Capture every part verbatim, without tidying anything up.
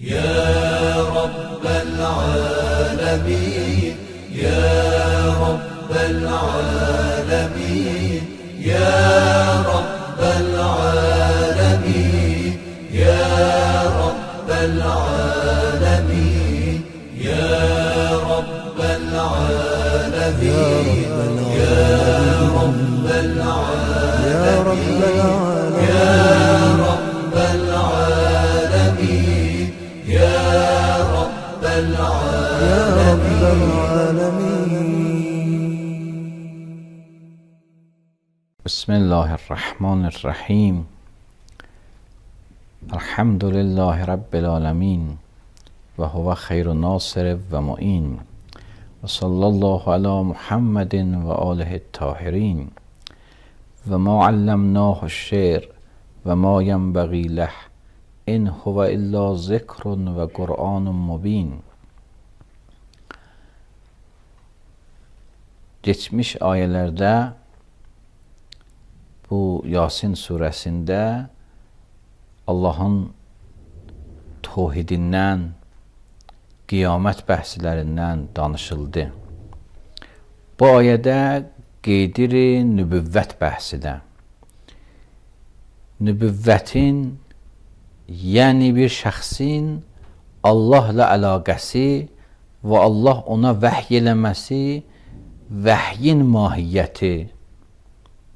يا رب العالمين يا رب العالمين يا رب العالمين يا رب العالمين يا رب العالمين يا رب العالمين يا رب العالمين يا رب العالمين. بسم الله الرحمن الرحیم. الحمد لله رب العالمین و هو خیر ناصر و معین و صلی الله علی محمد و آله الطاهرین و ما علمناه الشعر و ما ینبغی له ان هو الا ذکر و قرآن مبین. Geçmiş ayələrdə bu Yasin surəsində Allahın tövhidindən, qiyamət bəhslərindən danışıldı. Bu ayədə qeydir-i nübüvvət bəhsidə. Nübüvvətin, yəni bir şəxsin Allahla əlaqəsi və Allah ona vəhy eləməsi, vəhyin mahiyyəti.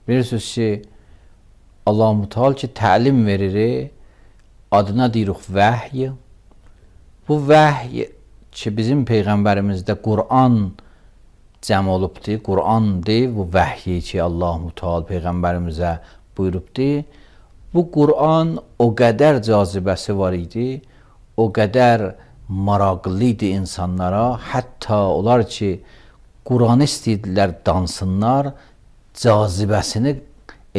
Bilirsiniz ki, Allah-u Teala ki, təlim verir, adına deyirik vəhy. Bu vəhy ki, bizim Peyğəmbərimizdə Qur'an cəm olubdur, Qur'andır, bu vəhyi ki, Allah-u Teala Peyğəmbərimizə buyurubdur. Bu Qur'an o qədər cazibəsi var idi, o qədər maraqlı idi insanlara, hətta onlar ki, Qur'anı istəyirdilər dansınlar, cazibəsini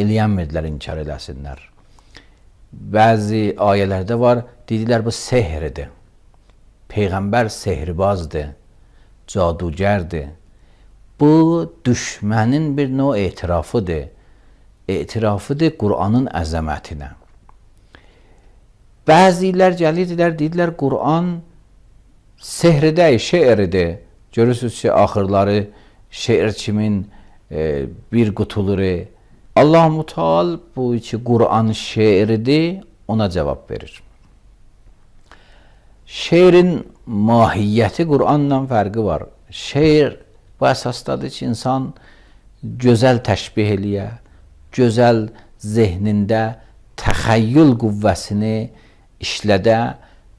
eləyənmirdilər, inkar eləsinlər. Bəzi ayələrdə var, dedilər bu sehridir. Peyğəmbər sehirbazdır, cadugərdir. Bu, düşmənin bir növ etirafıdır. Etirafıdır Qur'anın əzəmətinə. Bəzilər gəlirdilər, dedilər Qur'an sehridir, şeiridir. Görürsünüz ki, axırları şeir kimin e, bir qutuluru. Allah-u Teala bu ki, Qur'an şeiridir, ona cavab verir. Şeirin mahiyyəti Qur'anla fərqi var. Şeir bu əsasdadır ki, insan gözəl təşbih eləyə, gözəl zehnində təxəyyül qüvvəsini işlədə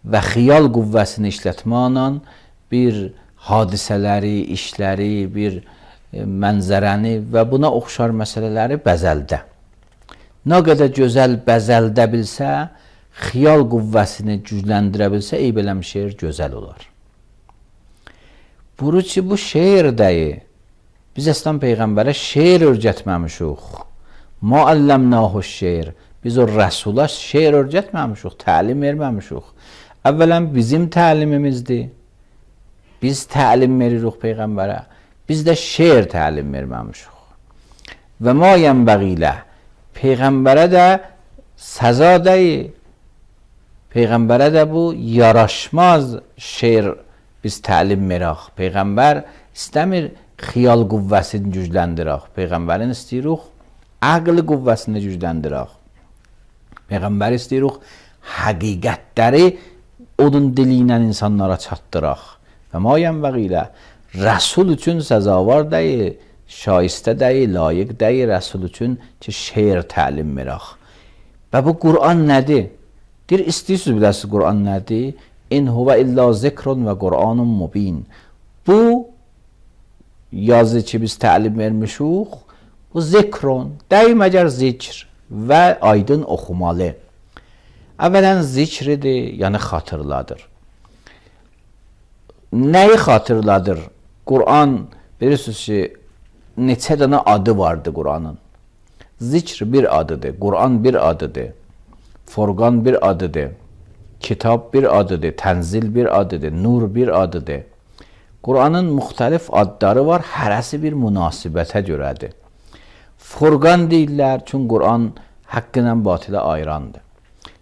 və xiyal qüvvəsini işlətməklə bir hadisələri, işləri, bir mənzərəni və buna oxşar məsələləri bəzəldə. Nə qədər gözəl bəzəldə bilsə, xiyal qüvvəsini gücləndirə bilsə, eyb eləm şeir gözəl olar. Buru ki, bu şeir dəyi, biz əslən Peyğəmbərə şeir örgətməmişik. Ma əlləmnahu şeir. Biz o Rəsula şeir örgətməmişik, təlim verməmişik. Əvvələn bizim təlimimizdir. Biz təlim veririk Peyğəmbərə. Biz də şeir təlim verməmişik. Və ma yənbəği ləh. Peyğəmbərə də səza deyil. Peyğəmbərə də bu yaraşmaz şeir biz təlim verək. Peyğəmbər istəmir xiyal qüvvəsini gücləndirək. Peyğəmbərin istəyirik əql qüvvəsini gücləndirək. Peyğəmbər istəyirik həqiqətləri onun dili ilə insanlara çatdıraq. Və ma yənbəği ləh. Rəsul üçün səzavar deyil, şaistə deyil, layiq deyil Rəsul üçün ki, şeir təlim verək. Və bu Qur'an nədir? Deyir, istəyirsiniz biləsiniz Qur'an nədir? İn huvə illa zikrun və Qur'anun mubin. Bu yazı ki, biz təlim vermişik, bu zikrun, deyil məgər zikr və aydın oxumalı. Əvvələn zikridir, yəni xatırladır. Nəyi xatırladır? Qur'an, bilirsiniz ki, neçə dənə adı vardı Qur'anın. Zikr bir adıdır, Qur'an bir adıdır, Furqan bir adıdır, Kitab bir adıdır, Tənzil bir adıdır, Nur bir adıdır. Qur'anın müxtəlif adları var, hərəsi bir münasibətə görədir. Furqan deyirlər, çünki Qur'an haqq ilə batilə ayırandır.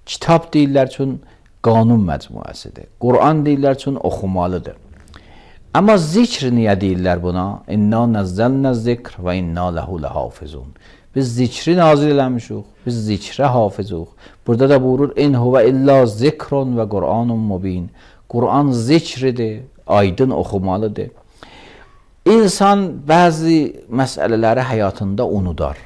Kitab deyirlər, çünki qanun məcmuəsidir. Quran deyirlər üçün oxumalıdır. Amma zikr niyə deyirlər buna? İnna nəzzəlnə zikr və inna ləhu ləhafizun. Biz zikri nazil eləmişik, biz zikrə hafizuq. Burada da buyurur, in huvə illa zikrun və Qur'anun mubin. Quran zikridir, aydın oxumalıdır. İnsan bəzi məsələləri həyatında unudar.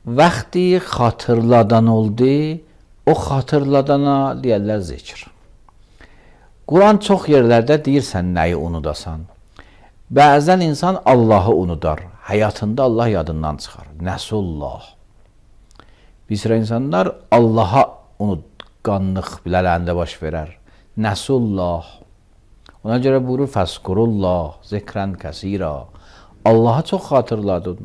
Vaxtı xatırladan oldu, o xatırladana deyərlər zikr. Quran çox yerlərdə deyirsən nəyi unudasan. Bəzən insan Allahı unudar. Həyatında Allah yadından çıxar. Nəsullah. Bir sıra insanlar Allaha unutqanlıq bilərəndə baş verər. Nəsullah. Ona görə buyurur, fəskurullah, zikrən kəsira. Allah'a çox xatırladın.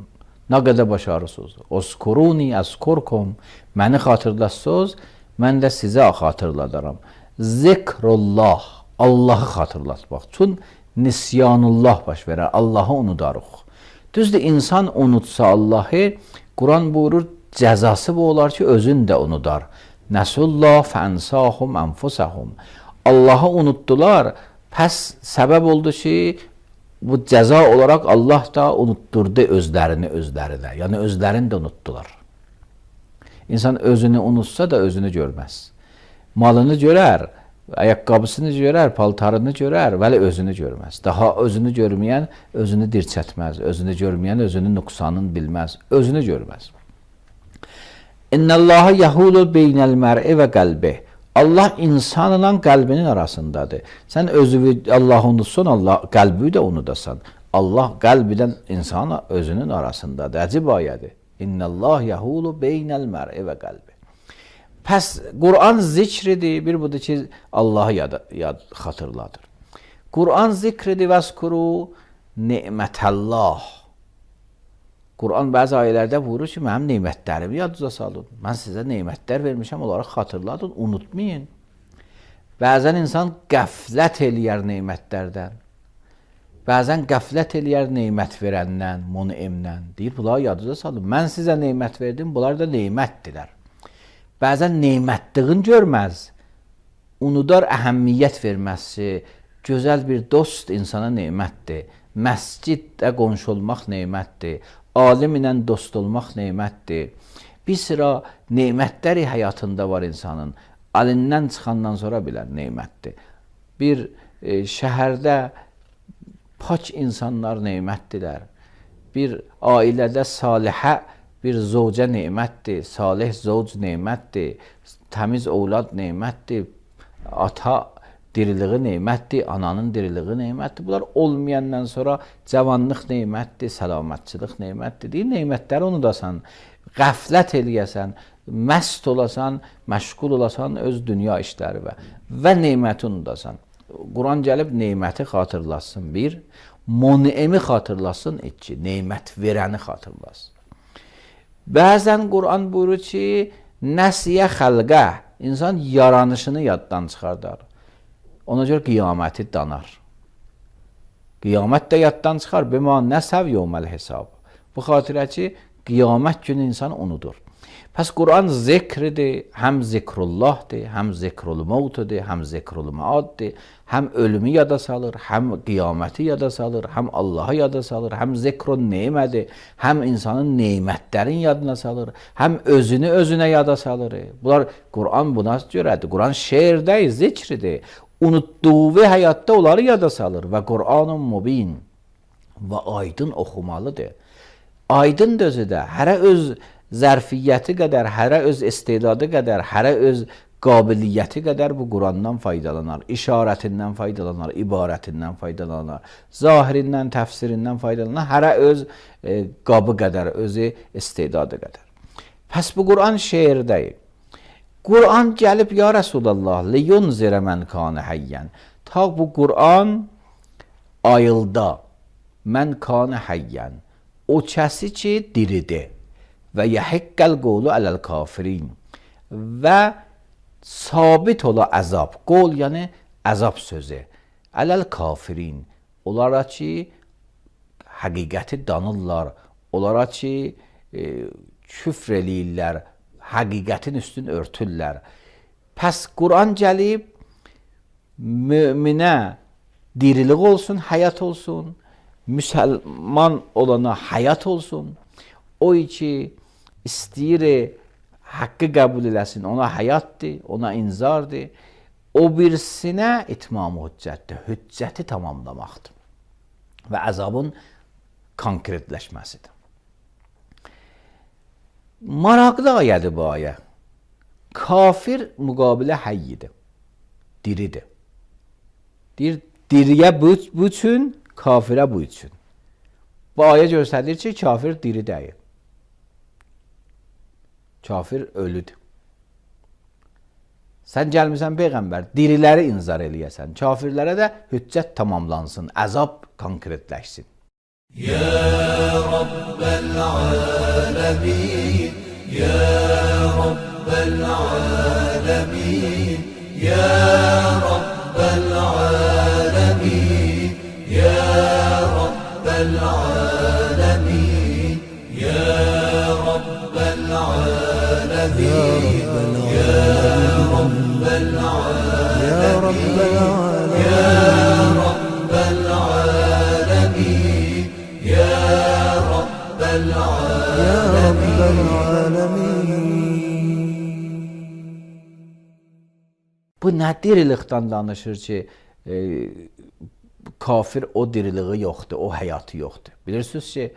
Nə qədər başarısınız. Oskuruni əskurkum. Məni xatırlatsınız, mən də sizə xatırladaram. Zikrullah. Allahı xatırlatmaq üçün nisyanullah baş verər. Allahı unudarıq. Düzdür, insan unutsa Allahı, Quran buyurur, cəzası bu olar ki, özün də unudar. Nəsullah fənsahum ənfusəhum. Allahı unutdular, pəs səbəb oldu ki, bu cəza olaraq Allah da unutturdu özlərini özlərinə. Yəni, özlərini də unutdular. İnsan özünü unutsa da özünü görməz. Malını görər, ayaqqabısını görər, paltarını görər, vəli özünü görməz. Daha özünü görməyən özünü dirçətməz, özünü görməyən özünün nüqsanını bilməz, özünü görməz. İnnəllaha yəhulu beynəl mər'i və qəlbi. Allah insanla qəlbinin arasındadır. Sən özünü Allahı unutsan, Allah qəlbi də unudasan. Allah qəlbidən insana özünün arasındadır. Əcib ayədir. İnnəllah yəhulu beynəl mər'i və qəlbi. Pəs Quran zikridir, bir budur ki, Allahı yad, yad xatırladır. Quran zikridir, vəskuru nimətəllah. Quran bəzi ayələrdə buyurur ki, mənim neymətlərimi yadınıza salın. Mən sizə neymətlər vermişəm, onları xatırladın, unutmayın. Bəzən insan qəflət eləyər neymətlərdən. Bəzən qəflət eləyər neymət verəndən, munimdən. Deyir, bunları yadınıza salın. Mən sizə neymət verdim, bunlar da neymətdirlər. Bəzən neymətliğin görməz, unudar əhəmmiyyət verməsi, gözəl bir dost insana neymətdir, məsciddə qonşu olmaq neymətdir, alim ilə dost olmaq neymətdir. Bir sıra neymətləri həyatında var insanın, əlindən çıxandan sonra bilən neymətdir. Bir e, şəhərdə pak insanlar neymətdirlər, bir ailədə salihə bir zovcə neymətdir, salih zovc neymətdir, təmiz ovlad neymətdir, ata diriliği neymətdir, ananın diriliği neymətdir. Bunlar olmayandan sonra cavanlıq neymətdir, səlamətçilik neymətdir. Deyir, neymətləri unudasan, qəflət eləyəsən, məst olasan, məşğul olasan öz dünya işləri və və neyməti unudasan. Quran gəlib neyməti xatırlasın bir, munimi xatırlasın iki, neymət verəni xatırlasın. Bəzən Quran buyurur ki, nəsiyə xəlqə, insan yaranışını yaddan çıxardar. Ona görə qiyaməti danar. Qiyamət də yaddan çıxar, bima nəsəv yevməl hesab. Bu xatirə ki, qiyamət günü insan unudur. Pəs Quran zikridir, həm zikrullahdır, həm zikrul mevtudur, həm zikrul maaddir, həm ölümü yada salır, həm qiyaməti yada salır, həm Allahı yada salır, həm zikrun neymədir, həm insanın neymətlərin yadına salır, həm özünü özünə yada salır. Bunlar Quran buna görədir. Quran şeirdir, zikridir. Unutduğu həyatda onları yada salır və Qur'anun mubin və aydın oxumalıdır. Aydın özü də, hərə öz zərfiyyəti qədər, hərə öz istedadı qədər, hərə öz qabiliyyəti qədər bu Qurandan faydalanar, işarətindən faydalanar, ibarətindən faydalanar, zahirindən, təfsirindən faydalanar, hərə öz e, qabı qədər, özü istedadı qədər. Pəs bu Quran şeirdəyir. Quran gəlib, ya Rasulallah, liyunzirə mən kanə həyyən. Ta bu Quran ayılda, mən kanə həyyən, o kəsi ki diridir. Və yəhəqqəl qolu ələl kafirin və sabit ola əzab. Qol yəni əzab sözü. Ələl kafirin. Onlara ki həqiqəti danırlar. Onlara ki e, küfr eləyirlər. Həqiqətin üstün örtürlər. Pəs Quran gəlib möminə dirilik olsun, həyat olsun, müsəlman olana həyat olsun. O ki istəyir haqqı qəbul eləsin, ona həyatdır, ona inzardır. O birisinə itmam hüccətdir, hüccəti tamamlamaqdır və əzabın konkretləşməsidir. Maraqlı ayədir bu ayə. Kafir müqabilə həyyidir, diridir. Deyir, diriyə bu, bu üçün, kafirə bu üçün. Bu ayə göstərir ki, kafir diri deyil. Kafir ölüdür. Sən gəlmirsən Peyğəmbər, diriləri inzar eləyəsən, kafirlərə də hüccət tamamlansın, əzab konkretləşsin. Ya Rabbel alemin, Ya Rabbel alemin, Ya Rabbel alemin, Ya Rabbel alemin, Ya Rabbel alemin, Ya Rabbel alemin, Ya Rabbel alemin, Ya Rabbel alemin, Ya Rabbel alemin. Bu nə dirilikdən danışır ki, e, kafir o diriliği yoxdur, o həyatı yoxdur. Bilirsiniz ki,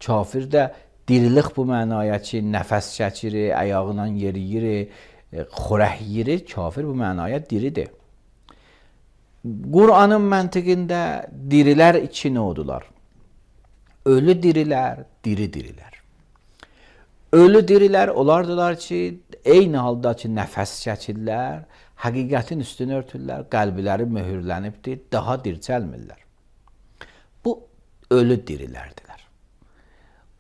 kafir də dirilik bu mənaya ki, nəfəs çəkir, ayağıyla yeriyir, xorək yeyir, kafir bu mənaya diridir. Qur'anın məntiqində dirilər iki növdülər. Ölü dirilər, diri dirilər. Ölü dirilər olardılar ki, eyni halda ki, nəfəs çəkirlər, həqiqətin üstünü örtürlər, qəlbləri möhürlənibdir, daha dirçəlmirlər. Bu, ölü dirilərdilər.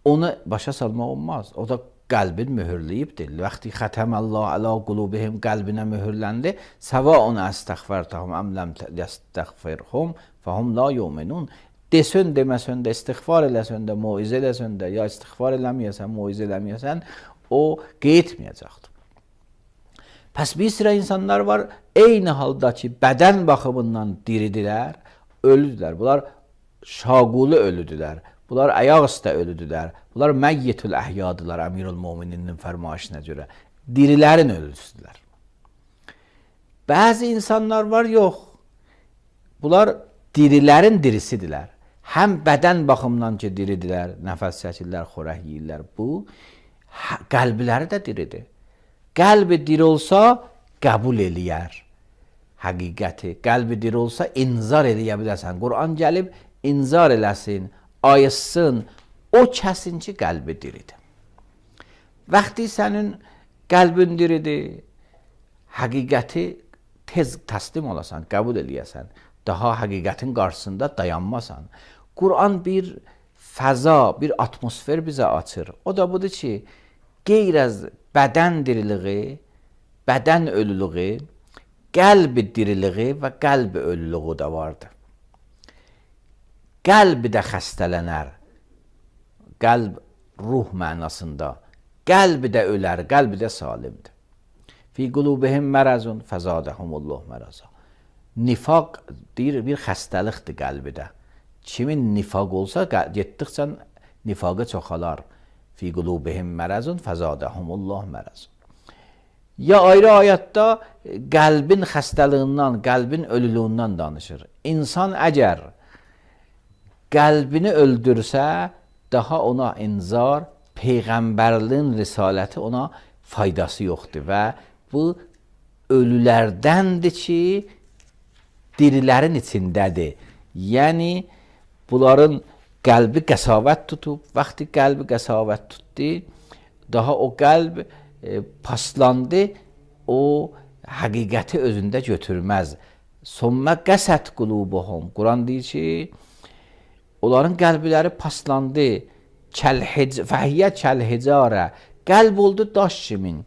Onu başa salmaq olmaz. O da qəlbin möhürləyibdir. Vaxti xətəməllah əla qulubihim qəlbinə möhürləndi. Səvaun əstəxfərtəhum əm ləm yəstəxfirhum fəhum la yu'minun. Desən, deməsən də, istiğfar eləsən də, muizə eləsən də, ya istiğfar eləməyəsən, muizə eləməyəsən, o qeytməyəcəkdir. Pəs bir sıra insanlar var, eyni halda ki, bədən baxımından diridilər, ölüdülər. Bunlar şaqulu ölüdülər. Bunlar ayaq üstə ölüdülər. Bunlar məyyitül əhyadılar, Əmirül Mömininin fərmayışına görə. Dirilərin ölüsüdülər. Bəzi insanlar var, yox. Bunlar dirilərin dirisidirlər. Həm bədən baxımından ki, diridilər, nəfəs çəkirlər, xorək yeyirlər. Bu, qəlbləri də diridir. Qəlbi diri olsa, qəbul eləyər həqiqəti. Qəlbi diri olsa, inzar eləyə bilərsən. Quran gəlib, inzar eləsin, ayıtsın, o kəsin ki, qəlbi diridir. Vaxtı sənin qəlbin diridir, həqiqəti tez təslim olasan, qəbul eləyəsən, daha həqiqətin qarşısında dayanmasan. Quran bir fəza, bir atmosfer bizə açır. O da budur ki, qeyr az bədən diriliği, bədən ölülüğü, qəlbi diriliği və qəlbi ölülüğü də vardır. Qəlbi də xəstələnər, qəlb ruh mənasında, qəlbi də ölər, qəlbi də salimdir. Fi qulubihim mərəzun fəzadəhumullah mərəza. Nifaq deyir, bir xəstəlikdir qəlbidə. Kimin nifaq olsa, getdikcə nifaqı çoxalar. Fi qulubihim mərəzun fəzadəhumullah mərəzun. Ya ayrı ayətdə qəlbin xəstəliyindən, qəlbin ölülüyündən danışır. İnsan əgər qəlbini öldürsə, daha ona inzar, Peyğəmbərliyin risaləti ona faydası yoxdur və bu ölülərdəndir ki, dirilərin içindədir. Yəni, bunların qəlbi qəsavət tutub, vaxtı qəlbi qəsavət tutdu, daha o qəlb e, paslandı, o həqiqəti özündə götürməz. Sommə qəsət qulubuhum. Quran deyir ki, onların qəlbləri paslandı, fəhiyyə kəlhicarə, qəlb oldu daş kimin,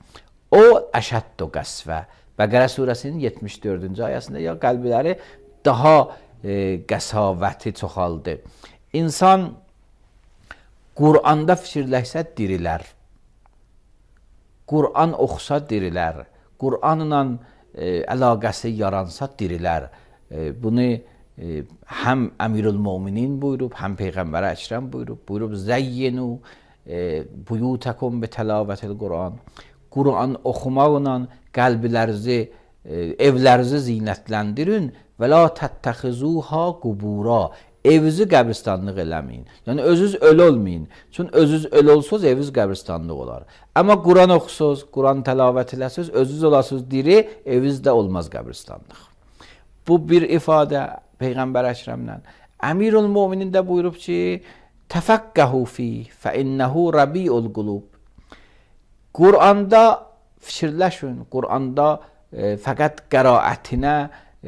o əşəddu qəsvə. Bəqərə surəsinin yetmiş dördüncü ayəsində ya qəlbləri daha e, qəsavəti çoxaldı. İnsan Quranda fikirləşsə dirilər. Quran oxusa dirilər. Quranla e, əlaqəsi yaransa dirilər. E, bunu e, həm Əmirülmöminin buyurub, həm Peyğəmbər Əkrəm buyurub. Buyurub zəyyinu e, buyutakum bi təlavətil Quran. Quran oxumaqla qəlblərinizi, e, evlərinizi zinətləndirin və la təttəxizuha qubura. Evinizi qəbristanlıq eləməyin. Yəni özünüz ölü olmayın. Çünki özünüz ölü olsuz, eviniz qəbristanlıq olar. Amma Quran oxusuz, Quran təlavət eləsiniz, özünüz olasınız diri, evinizdə olmaz qəbristanlıq. Bu bir ifadə Peyğəmbər Əkrəmlə. Əmirülmöminin də buyurub ki, təfəqqəhu fi fə innəhu rabiul qulub. Quranda fikirləşin, Quranda e, fəqət qəraətinə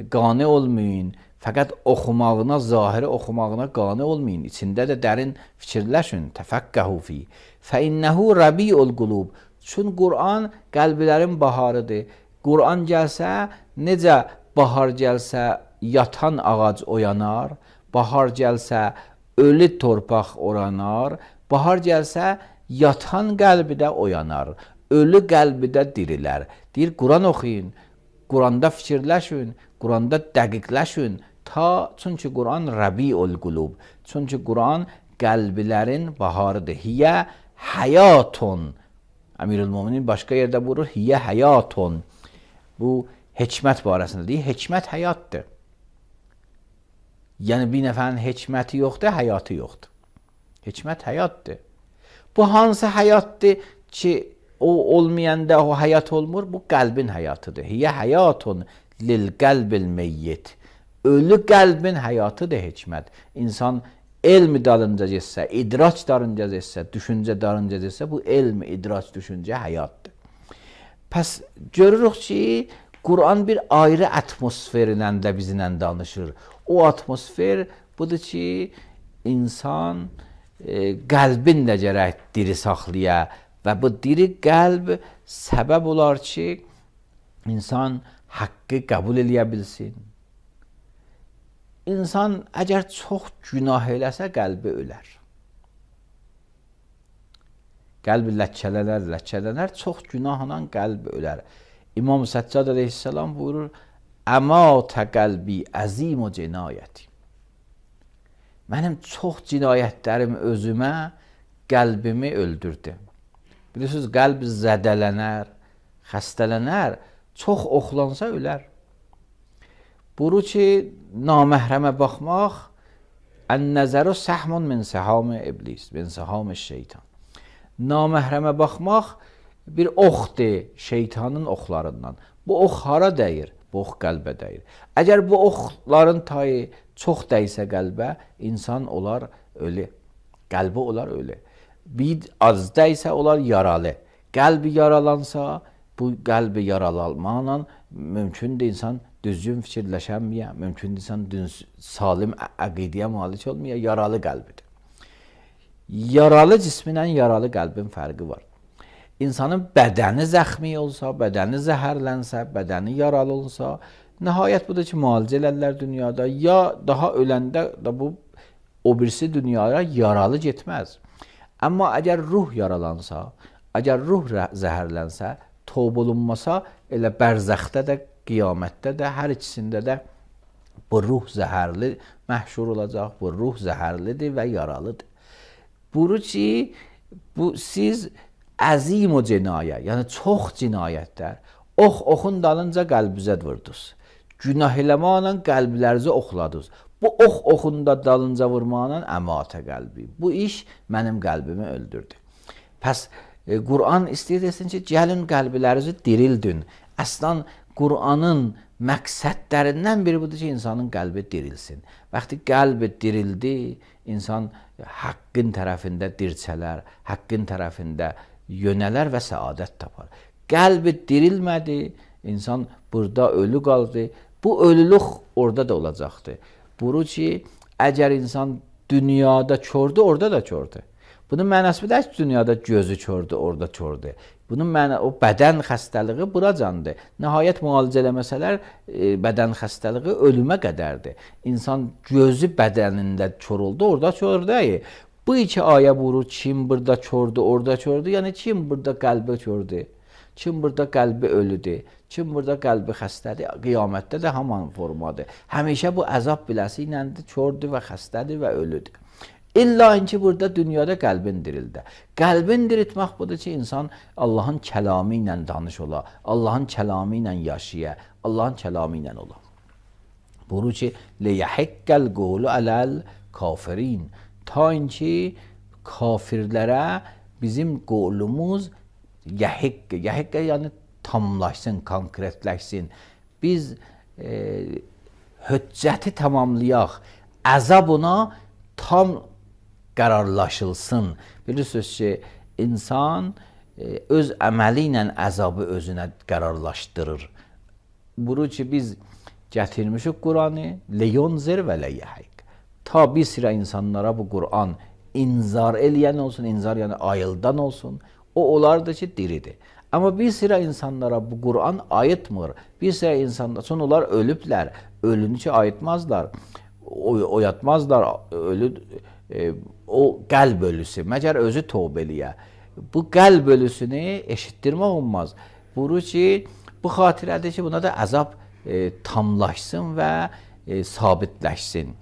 qane olmayın. Fəqət oxumağına, zahiri oxumağına qane olmayın. İçində də dərin fikirləşin. Təfəqqəhu fi. Fə innəhu rabiul qulub. Çünki Quran qəlblərin baharıdır. Quran gəlsə, necə bahar gəlsə yatan ağac oyanar, bahar gəlsə ölü torpaq oranar, bahar gəlsə yatan qəlbi də oyanar, ölü qəlbi də dirilər. Deyir, Quran oxuyun, Quranda fikirləşin, Quranda dəqiqləşin. Ta, çünki Quran Rabiul Qulub. Çünki Quran qəlblərin baharıdır. Hiyə həyatun. Əmirülmöminin başqa yerdə buyurur, hiyə həyatun. Bu, hikmət barəsində deyir, hikmət həyatdır. Yəni, bir nəfərin hikməti yoxdur, həyatı yoxdur. Hikmət həyatdır. Bu, hansı həyatdır ki, o olmayanda o həyat olmur? Bu, qəlbin həyatıdır. Hiyə həyatun lil qəlbil meyyit. Ölü qəlbin həyatıdır hikmət. İnsan elm dalınca getsə, idrac dalınca getsə, düşüncə dalınca getsə, bu elm, idrac, düşüncə həyatdır. Pəs görürük ki, Quran bir ayrı atmosferilə də bizlə danışır. O atmosfer budur ki, insan e, qəlbin də gərək diri saxlaya və bu diri qəlb səbəb olar ki, insan haqqı qəbul eləyə bilsin. İnsan əgər çox günah eləsə, qəlbi ölər. Qəlbi ləkkələnər, ləkkələnər, çox günahla qəlbi ölər. İmam Səccad əleyhissalam buyurur, əmətə qəlbi əzim o cinayəti. Mənim çox cinayətlərim özümə qəlbimi öldürdü. Bilirsiniz, qəlb zədələnər, xəstələnər, çox oxlansa ölər. Buyurur ki, naməhrəmə baxmaq, ən-nəzəru səhmun min səham iblis, min səham şeytan. Naməhrəmə baxmaq bir oxdur şeytanın oxlarından. Bu ox hara dəyir? Bu ox qəlbə dəyir. Əgər bu oxların tayı çox dəysə qəlbə, insan olar ölü. Qəlbi olar ölü. Bir az dəysə olar yaralı. Qəlbi yaralansa, bu qəlbi yaralanmaqla mümkündür insan düzgün fikirləşənməyə, mümkündür insan salim əqidəyə malik olmaya, yaralı qəlbidir. Yaralı cisminlə yaralı qəlbin fərqi var. İnsanın bədəni zəxmi olsa, bədəni zəhərlənsə, bədəni yaralı olsa, nəhayət budur ki, müalicə elərlər dünyada, ya daha öləndə da bu o birisi dünyaya yaralı getməz. Amma əgər ruh yaralansa, əgər ruh zəhərlənsə, tövbə olunmasa, elə bərzəxdə də, qiyamətdə də, hər ikisində də bu ruh zəhərli məhşur olacaq, bu ruh zəhərlidir və yaralıdır. Buyurur ki, bu siz əzim o cinayə, yəni çox cinayətlər, ox oxun dalınca qəlbizə vurdunuz. Günah eləməklə qəlblərinizi oxladınız. Bu ox oxunda dalınca vurmaqla əmətə qəlbi. Bu iş mənim qəlbimi öldürdü. Pəs e, Quran istəyir desin ki, gəlin qəlblərinizi dirildin. Əslən Quranın məqsədlərindən biri budur ki, insanın qəlbi dirilsin. Vaxtı qəlbi dirildi, insan haqqın tərəfində dirçələr, haqqın tərəfində yönələr və səadət tapar. Qəlbi dirilmədi, insan burada ölü qaldı. Bu ölülük orada da olacaqdır. Buyurur ki, əgər insan dünyada kördü, orada da kördü. Bunun mənası da ki, dünyada gözü kördü, orada kördü. Bunun mənası, o bədən xəstəliyi buracandır. Nəhayət müalicə eləməsələr, e, bədən xəstəliyi ölümə qədərdir. İnsan gözü bədənində kör oldu, orada kördü. Bu iki ayə buyurur, kim burada kördü, orada kördü. Yəni, kim burada qəlbi kördü? Kim burada qəlbi ölüdür? Kim burada qəlbi xəstədir, qiyamətdə də haman formadır. Həmişə bu əzab biləsi iləndir, kördür və xəstədir və ölüdür. İlla ki burada dünyada qəlbin dirildə. Qəlbin diriltmək budur ki, insan Allahın kəlamı ilə danış ola, Allahın kəlamı ilə yaşaya, Allahın kəlamı ilə ola. Buyurur ki, لِيَحِقَّ الْقَوْلُ عَلَى الْكَافِرِينَ Ta ki kafirlərə bizim qolumuz yəhikk, yəhikk yəni tamlaşsın, konkretləşsin. Biz e, höccəti tamamlayaq, əzab ona tam qərarlaşılsın. Bilirsiniz ki, insan e, öz əməli ilə əzabı özünə qərarlaşdırır. Buyurur ki, biz gətirmişik Qur'anı, leyunzir və leyəhik. Ta bir sıra insanlara bu Qur'an inzar eləyən olsun, inzar yəni ayıldan olsun, o olardı ki, diridir. Amma bir sıra insanlara bu Qur'an ayıtmır. Bir sıra insanlar, son onlar ölüblər, ölünü ki ayıtmazlar, oy, oyatmazlar, ölü, e, o qəlb ölüsü, məgər özü tövbə eləyə. Bu qəlb ölüsünü eşitdirmək olmaz. Buyurur ki, bu xatirədir ki, buna da əzab e, tamlaşsın və e, sabitləşsin.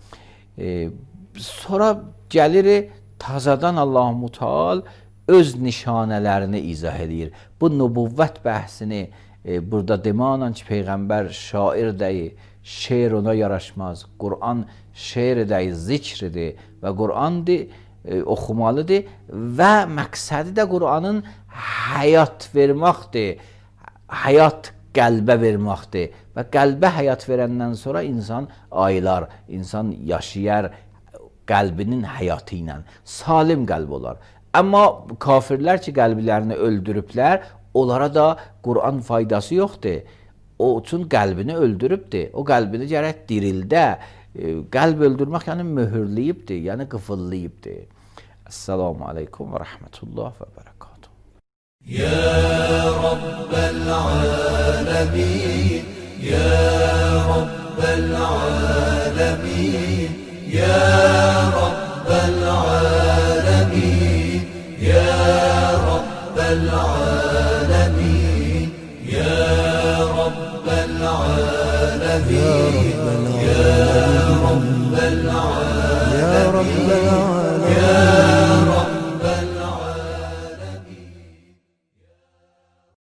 E, sonra gəlir tazadan Allah-u Müteal öz nişanələrini izah edir. Bu nübüvvət bəhsini e, burada demanla ki, Peyğəmbər şair deyil, şeir ona yaraşmaz. Qur'an şeir deyil, zikridir və Qur'andır, e, oxumalıdır və məqsədi də Qur'anın həyat verməkdir, həyat qəlbə verməkdir və qəlbə həyat verəndən sonra insan ayılar, insan yaşayar qəlbinin həyatı ilə, salim qəlb olar. Amma kafirlər ki, qəlblərini öldürüblər, onlara da Qur'an faydası yoxdur. O üçün qəlbini öldürübdür. O qəlbini gərək dirildə. Qəlb öldürmək yəni möhürləyibdir, yəni qıfıllayıbdır. Esselamu aleykum və rəhmətullah və bərəkatuhu. Ya Rabbel alemin, Ya Rabbel alemin, Ya Rabbel alemin, Ya Rabbel alemin, Ya Rabbel alemin, Ya Rabbel alemin, Ya Rabbel alemin,